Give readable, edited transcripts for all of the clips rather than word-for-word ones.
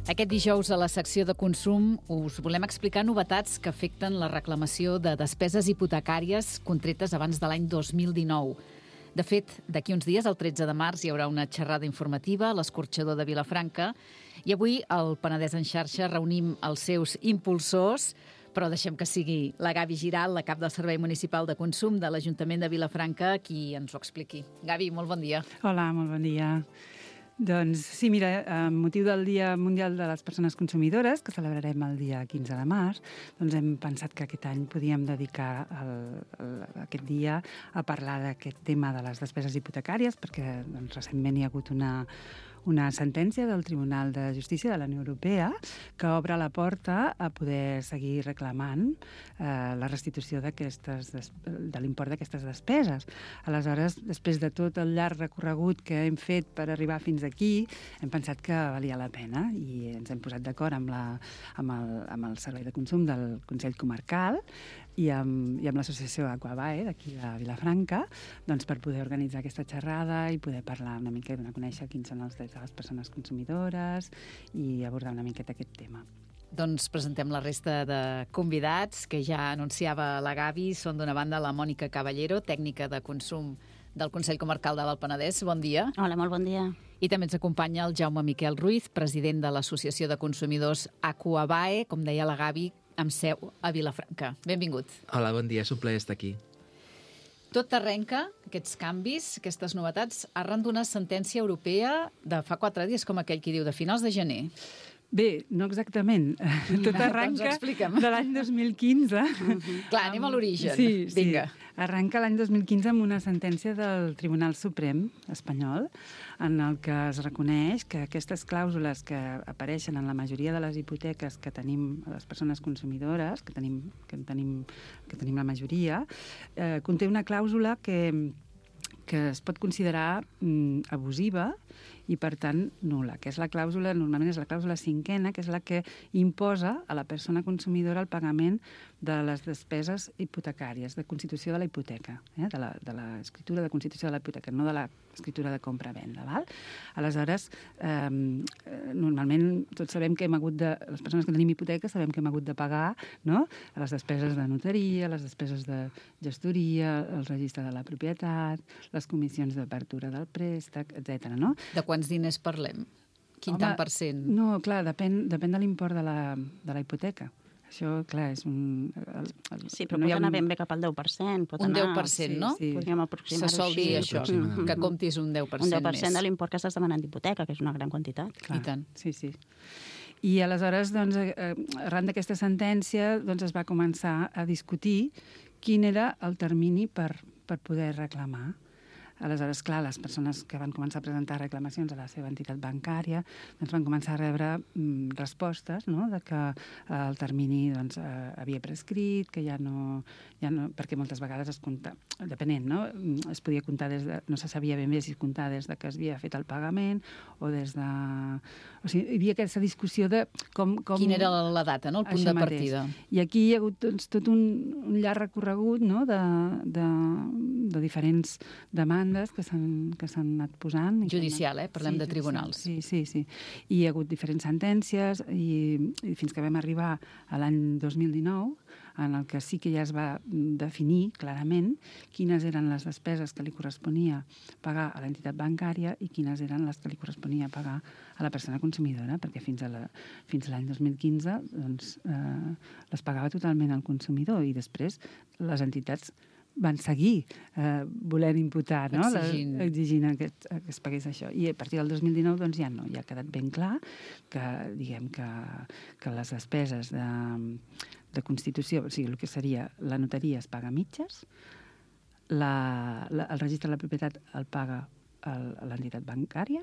Aquest dijous a la secció de consum us volem explicar novetats que afecten la reclamació de despeses hipotecàries contretes abans de l'any 2019. De fet, d'aquí uns dies, el 13 de març, hi haurà una xerrada informativa a l'Escorxador de Vilafranca i avui al Penedès en xarxa reunim els seus impulsors, però deixem que sigui la Gavi Giral, la cap del Servei Municipal de Consum de l'Ajuntament de Vilafranca, qui ens ho expliqui. Gavi, molt bon dia. Hola, molt bon dia. Doncs sí, mira, amb motiu del Dia Mundial de les Persones Consumidores, que celebrarem el dia 15 de març, doncs hem pensat que aquest any podíem dedicar aquest dia a parlar d'aquest tema de les despeses hipotecàries, perquè doncs, recentment hi ha hagut una sentència del Tribunal de Justícia de la Unió Europea que obre la porta a poder seguir reclamant la restitució de l'import d'aquestes despeses. Aleshores, després de tot el llarg recorregut que hem fet per arribar fins aquí, hem pensat que valia la pena i ens hem posat d'acord amb el Servei de Consum del Consell Comarcal i amb l'associació Aquabae d'aquí de Vilafranca, doncs per poder organitzar aquesta xerrada i poder parlar una mica, donar a conèixer quins són els drets de les persones consumidores i abordar una miqueta aquest tema. Doncs presentem la resta de convidats que ja anunciava la Gavi. Són d'una banda la Mònica Caballero, tècnica de consum del Consell Comarcal de l'Alt Penedès. Bon dia. Hola, molt bon dia. I també ens acompanya el Jaume Miquel Ruiz, president de l'Associació de Consumidors Aquabae, com deia la Gavi, amb seu a Vilafranca. Benvingut. Hola, bon dia, és un plaer estar aquí. Tot arrenca, aquests canvis, aquestes novetats, arran d'una sentència europea de fa 4 dies, com aquell qui diu, de finals de gener. Bé, no exactament. Tot arranca de l'any 2015. Clar, anem a l'origen. Sí, vinga. Arranca l'any 2015 amb una sentència del Tribunal Suprem espanyol en el que es reconeix que aquestes clàusules que apareixen en la majoria de les hipoteques que tenim les persones consumidores, que tenim la majoria, conté una clàusula que es pot considerar abusiva i, per tant, nul·la, que és la clàusula, normalment és la clàusula 5ª, que és la que imposa a la persona consumidora el pagament de les despeses hipotecàries, de constitució de la hipoteca, de l'escriptura de constitució de la hipoteca, no de l'escriptura de compra-venda, val? Aleshores, normalment tots sabem que les persones que tenim hipoteca sabem que hem hagut de pagar, no?, les despeses de notaria, les despeses de gestoria, el registre de la propietat, les comissions d'apertura del préstec, etc. no? De quants diners parlem? Quin tant per cent? No, clar, depèn de l'import de la hipoteca. Això, clar, és un... Sí, però pot anar ben bé cap al 10%. Un 10%, no? Sí. Podríem aproximar-ho se sol dir així. això, que comptis un 10% més. Un 10% de l'import que estàs demanant d'hipoteca, que és una gran quantitat. Clar. I tant. Sí, sí. I aleshores, doncs, arran d'aquesta sentència, doncs, es va començar a discutir quin era el termini per poder reclamar. Aleshores, clar, les persones que van començar a presentar reclamacions a la seva entitat bancària doncs van començar a rebre respostes, no?, de que el termini doncs, havia prescrit, que ja no... perquè moltes vegades es compta, depenent, no?, es podia comptar no se sabia ben bé si comptar des de que es havia fet el pagament o des de... O sigui, hi havia aquesta discussió de com... Quina era la data, no?, el punt de partida. I aquí hi ha hagut doncs, tot un llarg recorregut, no?, de diferents demandes que s'han anat posant. Judicial, parlem de tribunals. Sí. I hi ha hagut diferents sentències i fins que vam arribar a l'any 2019, en el que sí que ja es va definir clarament quines eren les despeses que li corresponia pagar a l'entitat bancària i quines eren les que li corresponia pagar a la persona consumidora, perquè fins a l'any 2015 doncs, les pagava totalment el consumidor i després les entitats van seguir volent imputar, no? Exigint que es pagués això. I a partir del 2019 doncs, ja no, ja ha quedat ben clar que, diguem, que les despeses de constitució, o sigui, el que seria la notaria es paga a mitges, el registre de la propietat el paga l'entitat bancària,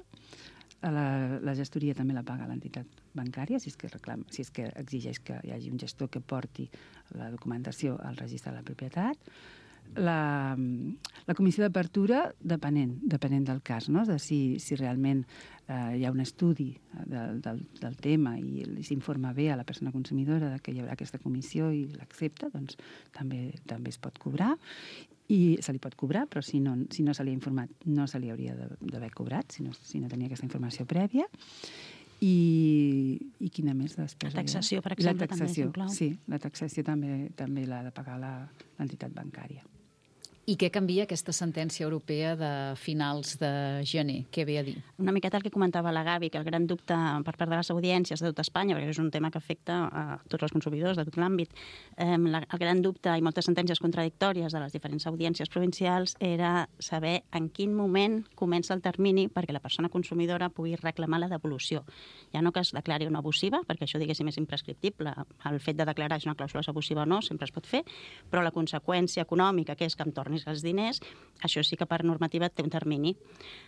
la gestoria també la paga l'entitat bancària, si és que exigeix que hi hagi un gestor que porti la documentació al registre de la propietat. La comissió d'apertura, depenent del cas, no? De si realment hi ha un estudi del tema i s'informa bé a la persona consumidora que hi haurà aquesta comissió i l'accepta, doncs també es pot cobrar. I se li pot cobrar, però si no se li ha informat no se li hauria d'haver cobrat, si no tenia aquesta informació prèvia. I quina més despesa? La taxació, per I la exemple, també taxació, s'inclou. sí, la taxació també l'ha de pagar l'entitat bancària. I què canvia aquesta sentència europea de finals de gener? Què ve a dir? Una miqueta el que comentava la Gavi, que el gran dubte per part de les audiències de tot Espanya, perquè és un tema que afecta a tots els consumidors de tot l'àmbit, el gran dubte i moltes sentències contradictòries de les diferents audiències provincials era saber en quin moment comença el termini perquè la persona consumidora pugui reclamar la devolució. Ja no que es declari una abusiva, perquè això, diguéssim, és imprescriptible. El fet de declarar si una clàusula és abusiva o no sempre es pot fer, però la conseqüència econòmica, que és que em tornis els diners, això sí que per normativa té un termini.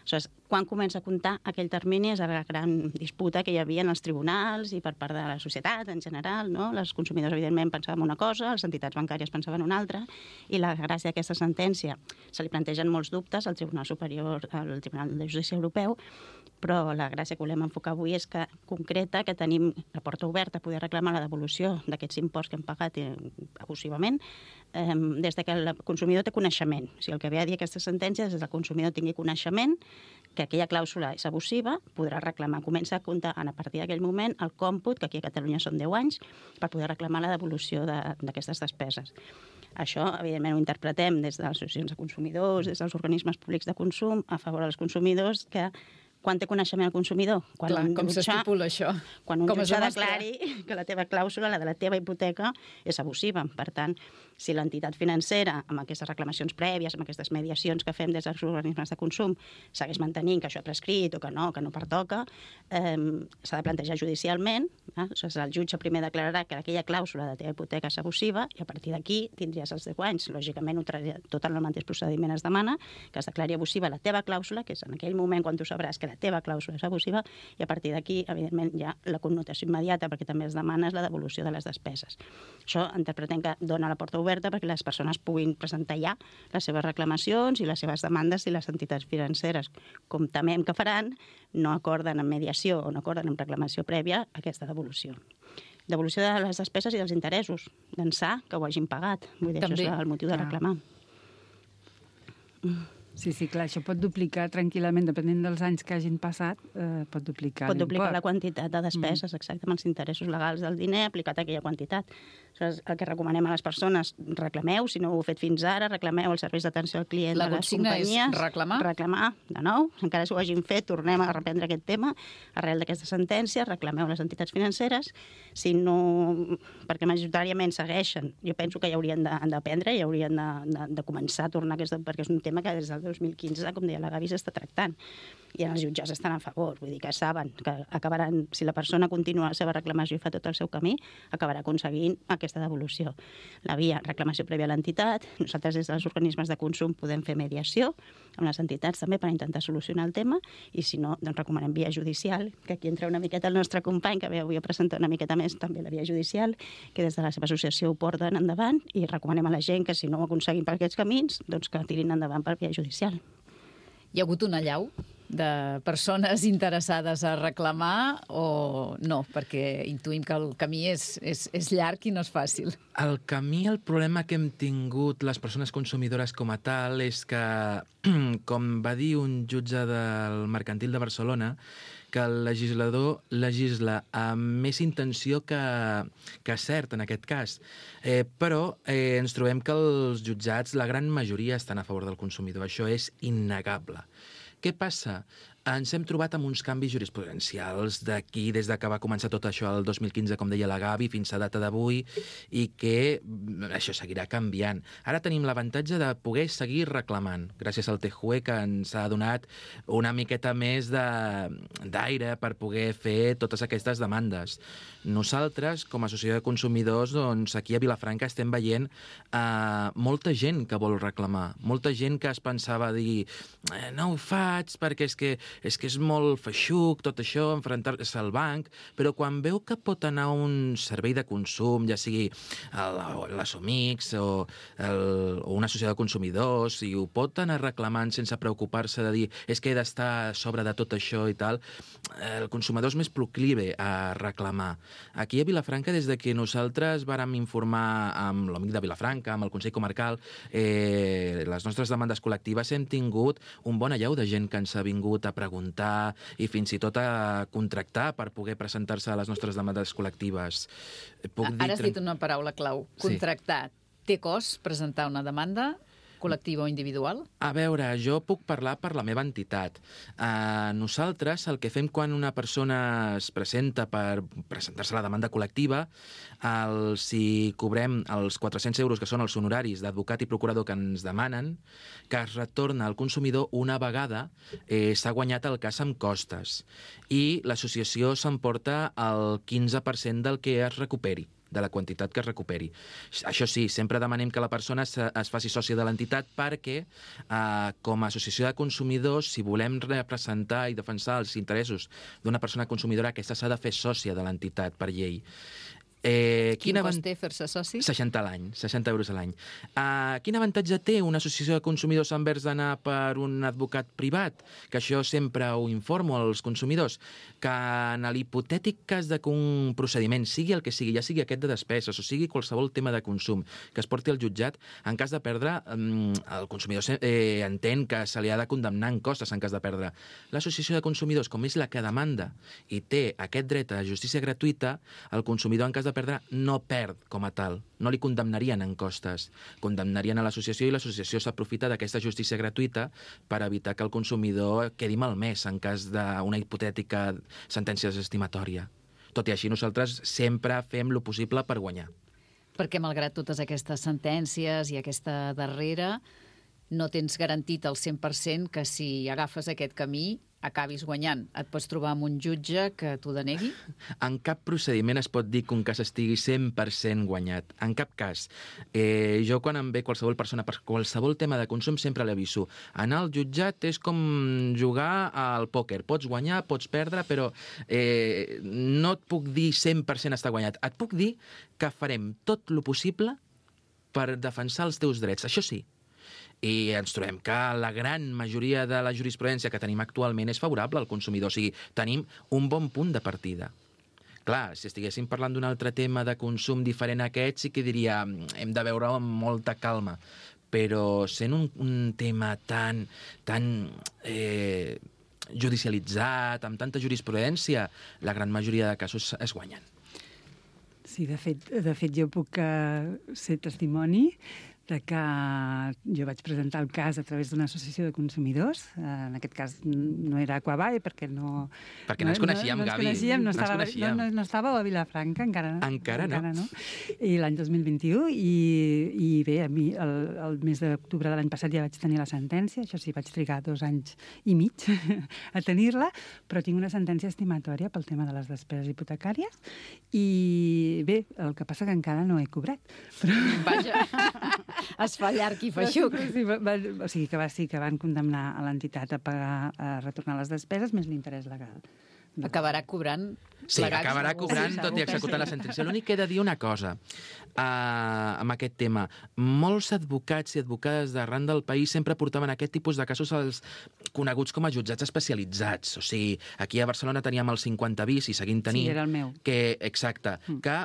Aleshores, quan comença a comptar aquell termini és la gran disputa que hi havia en els tribunals i per part de la societat en general, no? Els consumidors, evidentment, pensaven una cosa, les entitats bancàries pensaven una altra, i la gràcia d'aquesta sentència se li plantegen molts dubtes al Tribunal Superior, al Tribunal de Justícia Europeu, però la gràcia que volem enfocar avui és que concreta que tenim la porta oberta a poder reclamar la devolució d'aquests imports que hem pagat abusivament des que el consumidor té coneixement. O sigui, el que ve a dir aquesta sentència és que el consumidor tingui coneixement que aquella clàusula és abusiva, podrà reclamar. Comença a comptar a partir d'aquell moment el còmput, que aquí a Catalunya són 10 anys, per poder reclamar la devolució d'aquestes despeses. Això, evidentment, ho interpretem des de les associacions de consumidors, des dels organismes públics de consum, a favor dels consumidors, que quan té coneixement el consumidor? Quan clar, com s'estipula això? Quan un jutge declari que la teva clàusula, la de la teva hipoteca, és abusiva. Per tant, si l'entitat financera, amb aquestes reclamacions prèvies, amb aquestes mediacions que fem des dels organismes de consum, segueix mantenint que això ha prescrit o que no pertoca, s'ha de plantejar judicialment. El jutge primer declararà que aquella clàusula de la teva hipoteca és abusiva i a partir d'aquí tindries els 10 anys. Lògicament, tot en el mateix procediment es demana que es declari abusiva la teva clàusula, que és en aquell moment quan tu sabràs que la teva clàusula és abusiva, i a partir d'aquí, evidentment, hi ha la connotació immediata, perquè també es demana la devolució de les despeses. Això interpretem que dona la porta oberta perquè les persones puguin presentar ja les seves reclamacions i les seves demandes i les entitats financeres, com temem que faran, no acorden en mediació o no acorden en reclamació prèvia aquesta devolució. Devolució de les despeses i dels interessos, d'ençà que ho hagin pagat. Vull dir, també. Això és el motiu de reclamar. Sí, clar, això pot duplicar tranquil·lament, depenent dels anys que hagin passat, pot duplicar l'import. Pot duplicar la quantitat de despeses, exacte, amb els interessos legals del diner aplicat a aquella quantitat. Aleshores, el que recomanem a les persones, reclameu, si no ho heu fet fins ara, reclameu els serveis d'atenció al client de les companyies. La consigna és reclamar? Reclamar, de nou, encara si ho hagin fet, tornem a reprendre aquest tema, arrel d'aquesta sentència, reclameu les entitats financeres, si no, perquè majoritàriament segueixen, jo penso que ja haurien d'aprendre, ja haurien de començar a tornar perquè és un tema que des del 2015, com deia la Gavi, s'està tractant. I els jutjats estan a favor, vull dir que saben que acabaran, si la persona continua la seva reclamació i fa tot el seu camí, acabarà aconseguint aquesta devolució. La via, reclamació prèvia a l'entitat, nosaltres des dels organismes de consum podem fer mediació amb les entitats també per intentar solucionar el tema, i si no, doncs recomanem via judicial, que aquí entra una miqueta el nostre company, que ve avui a presentar una miqueta més també la via judicial, que des de la seva associació ho porten endavant, i recomanem a la gent que si no ho aconseguim per aquests camins, doncs que tirin endavant per via judicial. Hi ha hagut una allau de persones interessades a reclamar o no? Perquè intuïm que el camí és llarg i no és fàcil. El camí, el problema que hem tingut les persones consumidores com a tal és que, com va dir un jutge del Mercantil de Barcelona, que el legislador legisla amb més intenció que cert en aquest cas. Però ens trobem que els jutjats, la gran majoria, estan a favor del consumidor. Això és innegable. Què passa? Ens hem trobat amb uns canvis jurisprudencials d'aquí, des que va començar tot això el 2015, com deia la Gavi, fins a data d'avui, i que això seguirà canviant. Ara tenim l'avantatge de poder seguir reclamant, gràcies al TJUE, que ens ha donat una miqueta més d'aire per poder fer totes aquestes demandes. Nosaltres, com a associació de consumidors, doncs, aquí a Vilafranca estem veient molta gent que vol reclamar, molta gent que es pensava dir no ho faig perquè és que és molt feixuc tot això, enfrontar-se al banc, però quan veu que pot anar a un servei de consum, ja sigui l'Assomix o una associació de consumidors, i ho pot anar reclamant sense preocupar-se de dir és que he d'estar a sobre de tot això i tal, el consumidor és més proclive a reclamar. Aquí a Vilafranca, des de que nosaltres vàrem informar amb l'Amic de Vilafranca, amb el Consell Comarcal, les nostres demandes col·lectives, hem tingut un bon allau de gent que ens ha vingut a preguntar i fins i tot a contractar per poder presentar-se a les nostres demandes col·lectives. Ara has dit una paraula clau, contractar. Té cost presentar una demanda col·lectiva o individual? A veure, jo puc parlar per la meva entitat. Nosaltres el que fem quan una persona es presenta per presentar-se a la demanda col·lectiva, si cobrem els 400 euros, que són els honoraris d'advocat i procurador que ens demanen, que es retorna al consumidor una vegada s'ha guanyat el cas amb costes. I l'associació s'emporta el 15% del que es recuperi, de la quantitat que es recuperi. Això sí, sempre demanem que la persona es faci sòcia de l'entitat perquè, com a associació de consumidors, si volem representar i defensar els interessos d'una persona consumidora, aquesta s'ha de fer sòcia de l'entitat per llei. Quin cost té fer-se soci? 60 a l'any, 60 euros a l'any. Quin avantatge té una associació de consumidors envers d'anar per un advocat privat? Que això sempre ho informo als consumidors. Que en l'hipotètic cas de que un procediment sigui el que sigui, ja sigui aquest de despeses o sigui qualsevol tema de consum que es porti al jutjat, en cas de perdre, el consumidor entén que se li ha de condemnar en costes en cas de perdre. L'associació de consumidors, com és la que demanda i té aquest dret a justícia gratuïta, el consumidor en cas de perdre no perd com a tal, no li condemnarien en costes, condemnarien a l'associació i l'associació s'aprofita d'aquesta justícia gratuïta per evitar que el consumidor quedi malmès en cas d'una hipotètica sentència desestimatòria. Tot i així, nosaltres sempre fem lo possible per guanyar. Perquè malgrat totes aquestes sentències i aquesta darrera, no tens garantit al 100% que si agafes aquest camí acabis guanyant. Et pots trobar amb un jutge que t'ho denegui? En cap procediment es pot dir que un cas estigui 100% guanyat. En cap cas. Jo, quan em ve qualsevol persona per qualsevol tema de consum, sempre l'aviso. Anar al jutjat és com jugar al pòquer. Pots guanyar, pots perdre, però no et puc dir 100% està guanyat. Et puc dir que farem tot el possible per defensar els teus drets. Això sí. I ens trobem que la gran majoria de la jurisprudència que tenim actualment és favorable al consumidor. O sigui, tenim un bon punt de partida. Clar, si estiguéssim parlant d'un altre tema de consum diferent a aquest, sí que diria hem de veure amb molta calma. Però sent un tema tan judicialitzat, amb tanta jurisprudència, la gran majoria de casos es guanyen. Sí, de fet jo puc ser testimoni de que jo vaig presentar el cas a través d'una associació de consumidors. En aquest cas no era Aquabae, perquè no... Perquè no ens coneixíem, Gavi. No estàveu a Vilafranca, encara no. I l'any 2021, i bé, a mi el mes d'octubre de l'any passat ja vaig tenir la sentència, això sí, vaig trigar 2 anys i mig a tenir-la, però tinc una sentència estimatòria pel tema de les despeses hipotecàries, i bé, el que passa que encara no he cobrat. Però... Vaja, es fa llarg i feixuc. O sigui que van condemnar a l'entitat a retornar les despeses més l'interès legal. Acabarà cobrant... Sí, acabarà cobrant tot i executant la sentència. L'únic que he de dir una cosa amb aquest tema. Molts advocats i advocades d'arran del país sempre portaven aquest tipus de casos als coneguts com a jutjats especialitzats. O sigui, aquí a Barcelona teníem el 50 bis i seguim tenint... Sí, era el meu. Exacte. Que,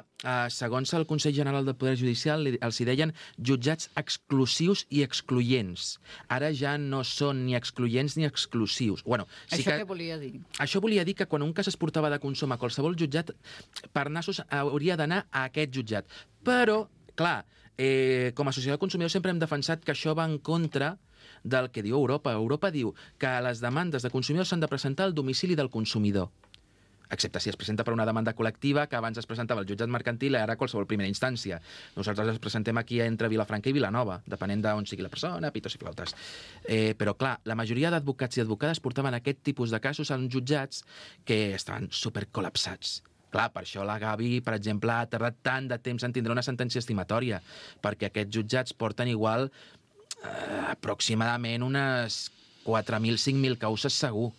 segons el Consell General del Poder Judicial, els hi deien jutjats exclusius i excloents. Ara ja no són ni excloents ni exclusius. Bueno, sí Això què volia dir? Això volia dir que quan un cas es portava de consum a qualsevol jutjat, per nassos hauria d'anar a aquest jutjat. Però, clar, com a associació de consumidors sempre hem defensat que això va en contra del que diu Europa. Europa diu que les demandes de consumidors s'han de presentar al domicili del consumidor, excepte si es presenta per una demanda col·lectiva que abans es presentava al jutjat mercantil i ara a qualsevol primera instància. Nosaltres ens presentem aquí entre Vilafranca i Vilanova, depenent d'on sigui la persona, pitos i flautes. Però, clar, la majoria d'advocats i advocades portaven aquest tipus de casos en jutjats que estaven supercol·lapsats. Clar, per això la Gavi, per exemple, ha tardat tant de temps en tindre una sentència estimatòria, perquè aquests jutjats porten igual aproximadament unes 4.000, 5.000 causes segur.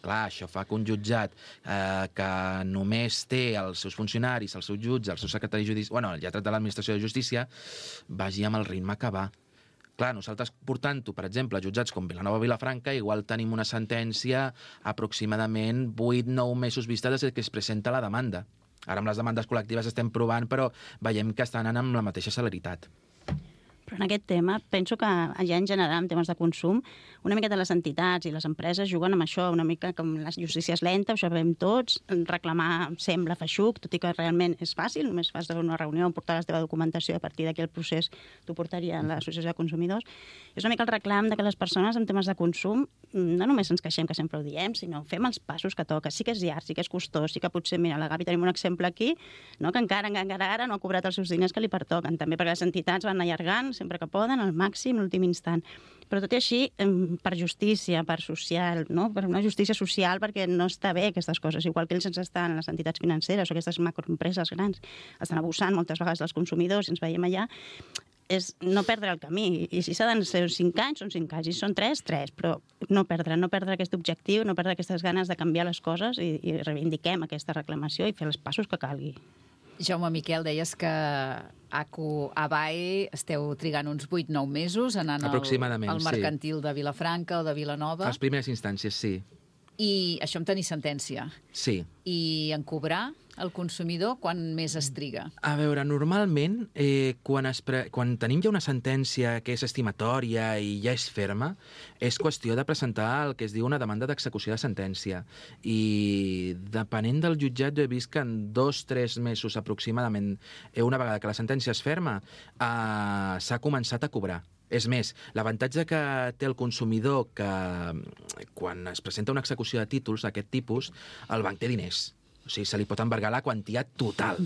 Clar, això fa que un jutjat que només té els seus funcionaris, el seu jutge, el seu secretari judici... Bueno, el lletrat de l'administració de justícia, vagi amb el ritme que va. Clar, nosaltres portant-ho, per exemple, a jutjats com Vilanova o Vilafranca, igual tenim una sentència aproximadament 8-9 mesos vista des que es presenta la demanda. Ara amb les demandes col·lectives estem provant, però veiem que estan anant amb la mateixa celeritat. Però en aquest tema penso que ja en general en temes de consum una miqueta les entitats i les empreses juguen amb això, una mica com la justícia és lenta, ho sabem tots, reclamar sembla feixuc, tot i que realment és fàcil, només fas una reunió, portar la teva documentació i a partir d'aquí el procés t'ho portaria a l'associació de consumidors. És una mica el reclam de que les persones en temes de consum no només ens queixem, que sempre ho diem, sinó fem els passos que toca. Sí que és llarg, sí que és costós, sí que potser, mira, a la Gavi tenim un exemple aquí, no? Que encara ara no ha cobrat els seus diners que li pertoquen, també perquè les entitats van allargant sempre que poden, al màxim, l'últim instant. Però tot i així, per justícia, per social, no? Per una justícia social, perquè no està bé aquestes coses, igual que ells ens estan, les entitats financeres o aquestes macroempreses grans, estan abusant moltes vegades dels consumidors, i ens veiem allà, és no perdre el camí. I si s'ha de ser 5 anys, són 5 anys. I si són 3, però no perdre aquest objectiu, no perdre aquestes ganes de canviar les coses i reivindiquem aquesta reclamació i fer els passos que calgui. Jaume Miquel, deies que ABAE esteu trigant uns 8-9 mesos anant al mercantil de Vilafranca o de Vilanova. A les primeres instàncies, sí. I això en tenir sentència. Sí. I en cobrar el consumidor, quan més es triga? A veure, normalment, quan tenim ja una sentència que és estimatòria i ja és ferma, és qüestió de presentar el que es diu una demanda d'execució de sentència. I depenent del jutjat, jo he vist que en 2-3 mesos aproximadament, una vegada que la sentència és ferma, s'ha començat a cobrar. És més, l'avantatge que té el consumidor que quan es presenta una execució de títols d'aquest tipus, el banc té diners. O sigui, se li pot embargar la quantitat total.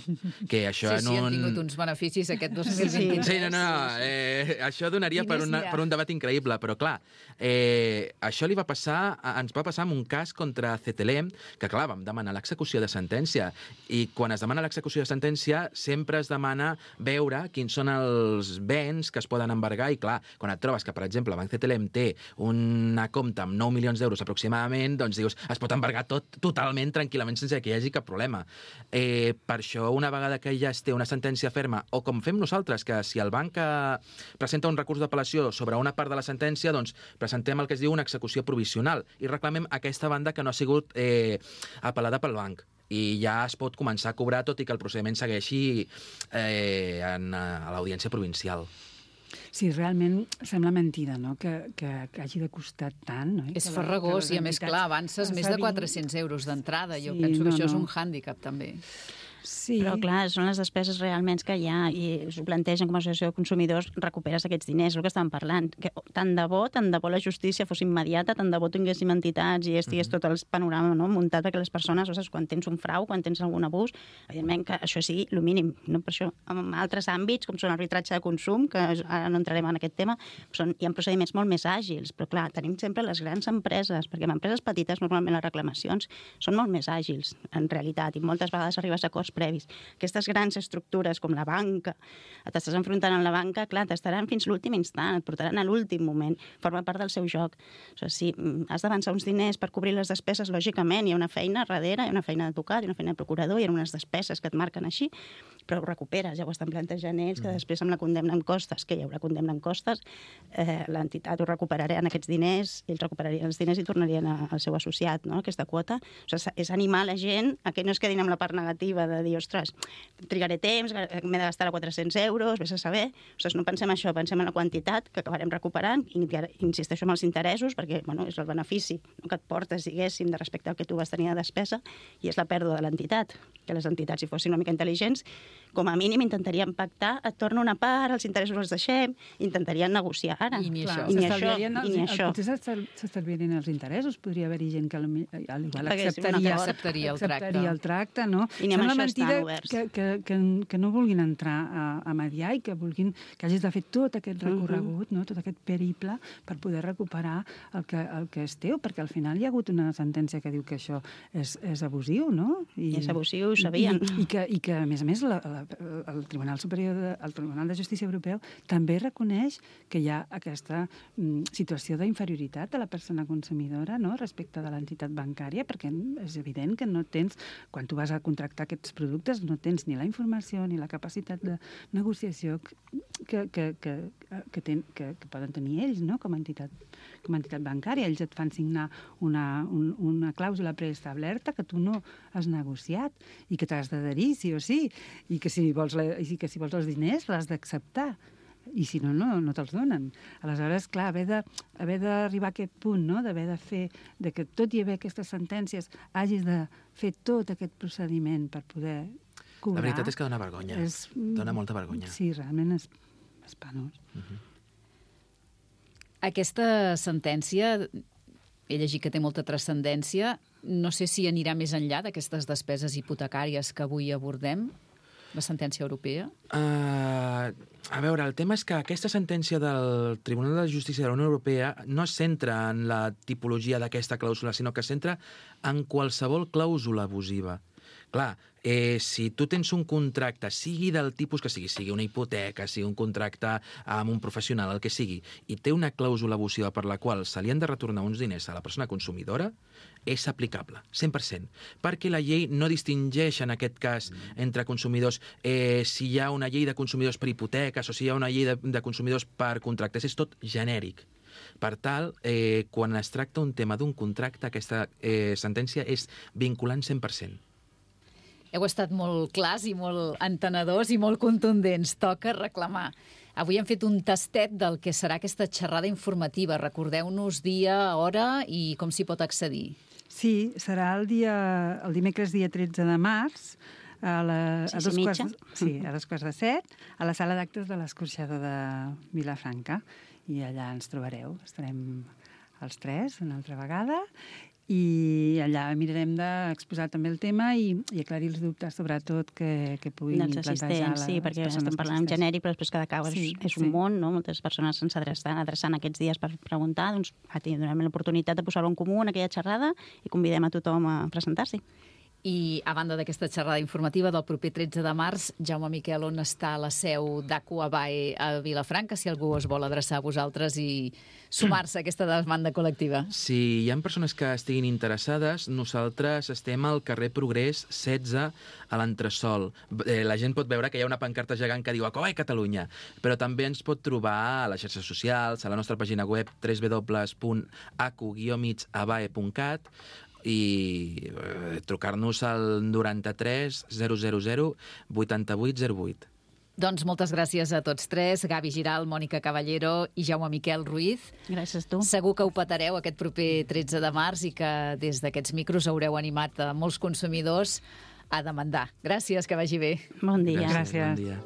Que això sí, han tingut uns beneficis aquest 2023. Sí, això donaria per un debat increïble, però clar, això ens va passar amb un cas contra CTLM, que clar, vam demanar l'execució de sentència, i quan es demana l'execució de sentència sempre es demana veure quins són els béns que es poden embargar, i clar, quan et trobes que, per exemple, el banc CTLM té una compta amb 9 milions d'euros aproximadament, doncs dius, es pot embargar tot totalment, tranquil·lament, sense que hi hagi cap problema. Per això, una vegada que ja es té una sentència ferma, o com fem nosaltres, que si el banc presenta un recurs d'apel·lació sobre una part de la sentència, doncs presentem el que es diu una execució provisional i reclamem aquesta banda que no ha sigut apel·lada pel banc. I ja es pot començar a cobrar, tot i que el procediment segueixi a l'audiència provincial. Sí, realment sembla mentida, no?, que hagi de costar tant. No? És farragós i, a més, clar, avances més de 400 euros d'entrada. Jo penso que això és un hàndicap, també. Sí. Però, clar, són les despeses realment que hi ha i s'ho plantegen com a associació de consumidors, recuperes aquests diners, el que estàvem parlant. Que tant de bo la justícia fos immediata, tant de bo tinguéssim entitats i estigués tot el panorama, no?, muntat perquè les persones, quan tens un frau, quan tens algun abús, evidentment que això sigui el mínim. No? Per això, en altres àmbits, com són arbitratge de consum, que ara no entrarem en aquest tema, hi ha procediments molt més àgils, però clar, tenim sempre les grans empreses, perquè en empreses petites normalment les reclamacions són molt més àgils, en realitat, i moltes vegades arribes a acords previs. Aquestes grans estructures com la banca, t'estàs enfrontant amb la banca, clar, t'estaran fins l'últim instant, et portaran a l'últim moment, forma part del seu joc. O sigui, si has d'avançar uns diners per cobrir les despeses, lògicament hi ha una feina darrere, hi ha una feina d'advocat, hi ha una feina de procurador, hi ha unes despeses que et marquen així, però ho recuperes, ja ho estan plantejant ells, que després amb la condemna en costes, que hi haurà condemna en costes, l'entitat ho recuperarà en aquests diners, ells recuperarien els diners i tornarien al seu associat, no?, aquesta quota. O sigui, és animar la gent a que no es quedin amb la part negativa de dir, ostres, trigaré temps, m'he de gastar 400 euros, vés a saber. O sigui, no pensem això, pensem en la quantitat que acabarem recuperant, i insisteixo en els interessos, perquè és el benefici que et portes, diguéssim, de respecte al que tu vas tenir de despesa, i és la pèrdua de l'entitat. Que les entitats, si fossin una mica intel·ligents, com a mínim intentaríem pactar, et torna una part, els interessos els deixem, intentarien negociar ara. I ni això. Potser s'estalviarien els interessos, podria haver-hi gent que acceptaria el tracte, no? I ni amb això estan oberts. Que no vulguin entrar a mediar i que hagis de fer tot aquest recorregut, no? Tot aquest periple per poder recuperar el que és teu, perquè al final hi ha hagut una sentència que diu que això és abusiu, no? I és abusiu, ho sabien. I que, a més, el Tribunal Superior, el Tribunal de Justícia Europeu també reconeix que hi ha aquesta situació d'inferioritat de la persona consumidora, no?, respecte de l'entitat bancària, perquè és evident que no tens, quan tu vas a contractar aquests productes, no tens ni la informació ni la capacitat de negociació que poden tenir ells, no?, com a entitat bancària. Ells et fan signar una clàusula preestablerta que tu no has negociat i que t'has d'adherir, sí o sí, i que si vols els diners l'has d'acceptar. i si no, no te'ls donen. Aleshores, clar, haver d'arribar a aquest punt, no?, d'haver de fer, de que tot i haver aquestes sentències hagis de fer tot aquest procediment per poder cobrar... La veritat és que dona vergonya, dona molta vergonya. Sí, realment és penós. Aquesta sentència, he llegit que té molta transcendència, no sé si anirà més enllà d'aquestes despeses hipotecàries que avui abordem, la sentència europea? A veure, el tema és que aquesta sentència del Tribunal de Justícia de la Unió Europea no es centra en la tipologia d'aquesta clàusula, sinó que es centra en qualsevol clàusula abusiva. Clar, si tu tens un contracte, sigui del tipus que sigui una hipoteca, sigui un contracte amb un professional, el que sigui, i té una clàusula abusiva per la qual se li han de retornar uns diners a la persona consumidora, és aplicable, 100%, perquè la llei no distingeix en aquest cas entre consumidors si hi ha una llei de consumidors per hipoteques o si hi ha una llei de consumidors per contractes, és tot genèric. Per tal, quan es tracta un tema d'un contracte, aquesta sentència és vinculant 100%. Heu estat molt clars i molt entenedors i molt contundents. Toca reclamar. Avui hem fet un tastet del que serà aquesta xerrada informativa. Recordeu-nos dia, hora i com s'hi pot accedir. Sí, serà el dimecres dia 13 de març, a 2:15, a la sala d'actes de l'Escorxador de Vilafranca. I allà ens trobareu. Estarem els tres una altra vegada i allà mirarem d'exposar també el tema i aclarir els dubtes, sobretot, que puguin plantejar les persones. Sí, perquè estem parlant en genèric, però després cada cas és un món, no? Moltes persones se'ns estan adreçant aquests dies per preguntar, doncs tindrem l'oportunitat de posar-ho en comú en aquella xerrada i convidem a tothom a presentar-s'hi. I a banda d'aquesta xerrada informativa del proper 13 de març, Jaume Miquel, on està la seu d'Acu Abae a Vilafranca, si algú es vol adreçar a vosaltres i sumar-se a aquesta demanda col·lectiva? Si hi ha persones que estiguin interessades, nosaltres estem al carrer Progrés 16 a l'Entresòl. La gent pot veure que hi ha una pancarta gegant que diu Acu Abae Catalunya, però també ens pot trobar a les xarxes socials, a la nostra pàgina web www.acu-abae.cat i trucar-nos al 93 000 8808. Doncs moltes gràcies a tots tres, Gavi Giral, Mònica Caballero i Jaume Miquel Ruiz. Gràcies a tu. Segur que ho petareu aquest proper 13 de març i que des d'aquests micros haureu animat a molts consumidors a demandar. Gràcies, que vagi bé. Bon dia. Gràcies. Bon dia.